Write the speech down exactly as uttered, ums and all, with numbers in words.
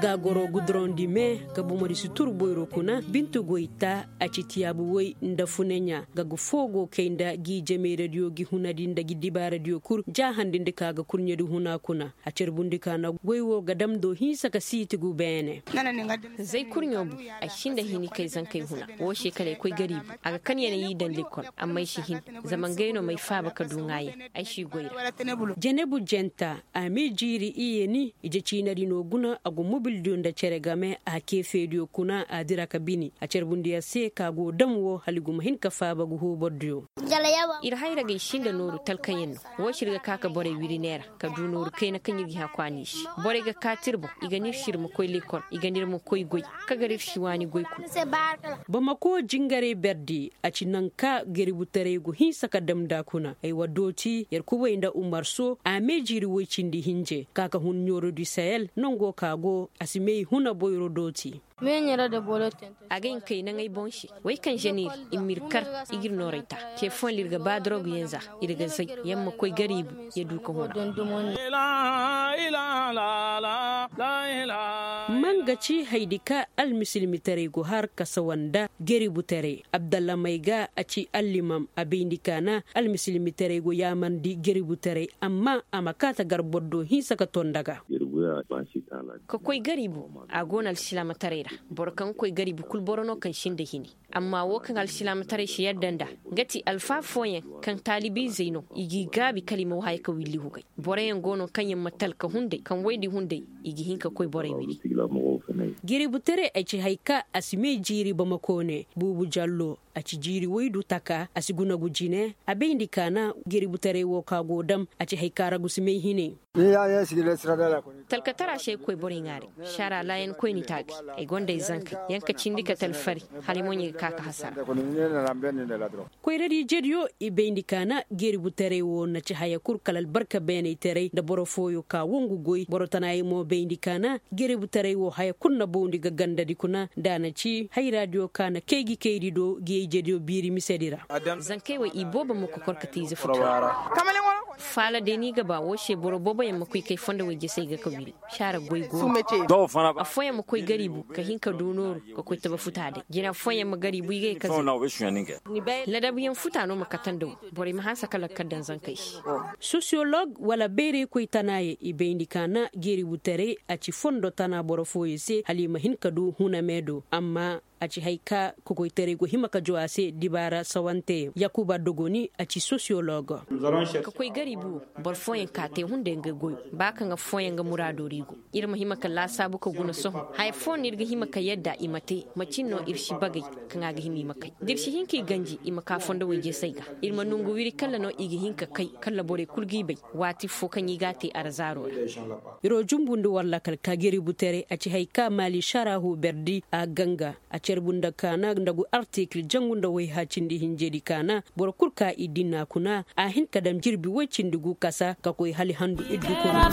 Tagoro gudorondi me, ka bomodi si tur boyro kuna bintu goy ta. A ci tiyaabu woy nda funeɲa ga ga foo go kay nda gi jameeradiyo gi hunadi nda gi dibaaradiyo kul ja handindi ka ga kurɲedi huna kuna. A carbundi ka na goy wo ga dam do hinsa ka siiti gu beene. Zay kurɲo bu ay sinda hini kay zankey huna. Wo se kala ay koy gariibu a ga kan ya na y'i daŋ likol. Amma ay si hin zama ngey no m'ay faaba ka du ŋaayan. Ay si goy ra. Jenebu jenta a m'ay jiiri iye ni ije ciinadi no guna a go mobildiyo nda cere game a keefeediyo kuna a dira ka bini a carbundi a se ka go dam wo hala i gu ma hin ka faaba ga hoobordiyo. Ir hayra ga i sinda nooru talkayaŋ no. Wo se ir ga ka ka borey wiri neera ka du nooru kayna kaŋ ir ga hã kwaani i se. Borey ga kaati ir boŋ i ga n'ir se ir ma koy lekol i ga n'ir ma koy goy. Ka gar ir si waani goy kul. Bamako jingaray berdi a ci naŋ ka geributaray go hinsa ka dam nda kuna ay wa dooti yer kubay nda umar so a me jiiri woy cindi hinje ka ka hun ɲooro di sahel nango ka go a si may huna boyro dooti. Agay nkay naŋay boŋ se. Way kaŋ ženir i m'ir kar i g'ir nooray ta. Ce fooyaŋ ir ga ba doroguyaŋ za ir ga zay. Yamma koy gariibu ya du ka huna. Manga ci haydi ka almisilmitaray go har ka sawa nda geributaray abdallah may ga a ci allimam a bayndi ka na almisilmitaray go yaamarndi geributaray amma a ma kaata gar boro do hinsa ka to nda ga. Ka koy gariibu a go no alsilaamataray ra. Boro kaŋ ga koy gariibu kul boro no kaŋ sinda hini. Amma wo kaŋ alsilaamataray si yadda nd'a nga ti alfaa fooyaŋ kaŋ taalibiizey no i g'i gaabi kala i ma wahaya ka willi hugay. Boroyaŋ go no kaŋ yaŋ ma talka hunday kaŋ woydi hunday i ga hin ka koy borey wiri. Giributaray ay ci hay ka a si may jiiri bamako ne buubu jallo. A ci jiiri woy du taka a si gunagu jine a bayndi ka na giributaray wo ka go dam a ci hay ka ragu si may hine. Talkatara se ay koy borey ŋaaray. Saara laayan koyni taagay ay gonda ay zankey. Yaŋ ka cindi kate alfari hala ay moɲey ga ka ka hasara. Koyradi jediyo i bayndi ka na geributaray wo na ci haya kul kala albarka beenaytaray nda boro fooyo ka wangu goy boro tanaayey mo bayndi ka na geributaray wo haya kul na bawndi ga gandadi kuna nda a na ci hayraadiyo ka na kaygi kaydi do giyey jediyo biiri misedi ra. Zankey wey i boobo ma kokor ka te ize futu ra. Faala day no i ga ba wo se boro booboyaŋ ma koy kay fondo wey jesey ga ka wiri. Saara goy go no. Affooyaŋ ma koy gariibu ka hin ka du nooru ka koy taba futa day jina affooyaŋ ma gariibu i ga ye ka zay. Ladabuyaŋ futa no ma kate nda wo. Borey ma hanse ka lakkal daŋ zankey se. Sosiyolog wala bayraykoy tanaayey i bayndi ka na geeributaray a ci fondo tana boro fooyey se hala i ma hin ka du huna meedo amma a ci hay ka kokoytaray go hima ka joo a se dibaara sawanteyaŋ yakuba dogoni a ci sosiyolog. Ka koy gariibu wo boro fooyaŋ ka te hunday nga goyo ba kaŋ affooyaŋ nga muraado ra i go. Ir ma hima ka laasaabu ka guna sohõ haya fooyaŋ no ir ga hima ka yadda i ma te macin no ir si bagay kaŋ a ga hima i ma kay da ir si hin ka i ganji i ma ka fondo wayjesey ga. Ir ma nongu wiri kalla no i ga hin ka kay kalla borey kul g'i bay. Waati foo kaŋ i g'a te arzaaro ra. Iroo jumbundi war lakal ka gariibutaray a ci hay ka maali sarahu berdi a ganga a carbu nda kaana nda gu artikil jangu nda wayha cindi hinjedi kaana boro kul ka i dinna kuna a hin ka dam jirbi woy cindi gu kasa ka koy hala handu iddu kuna.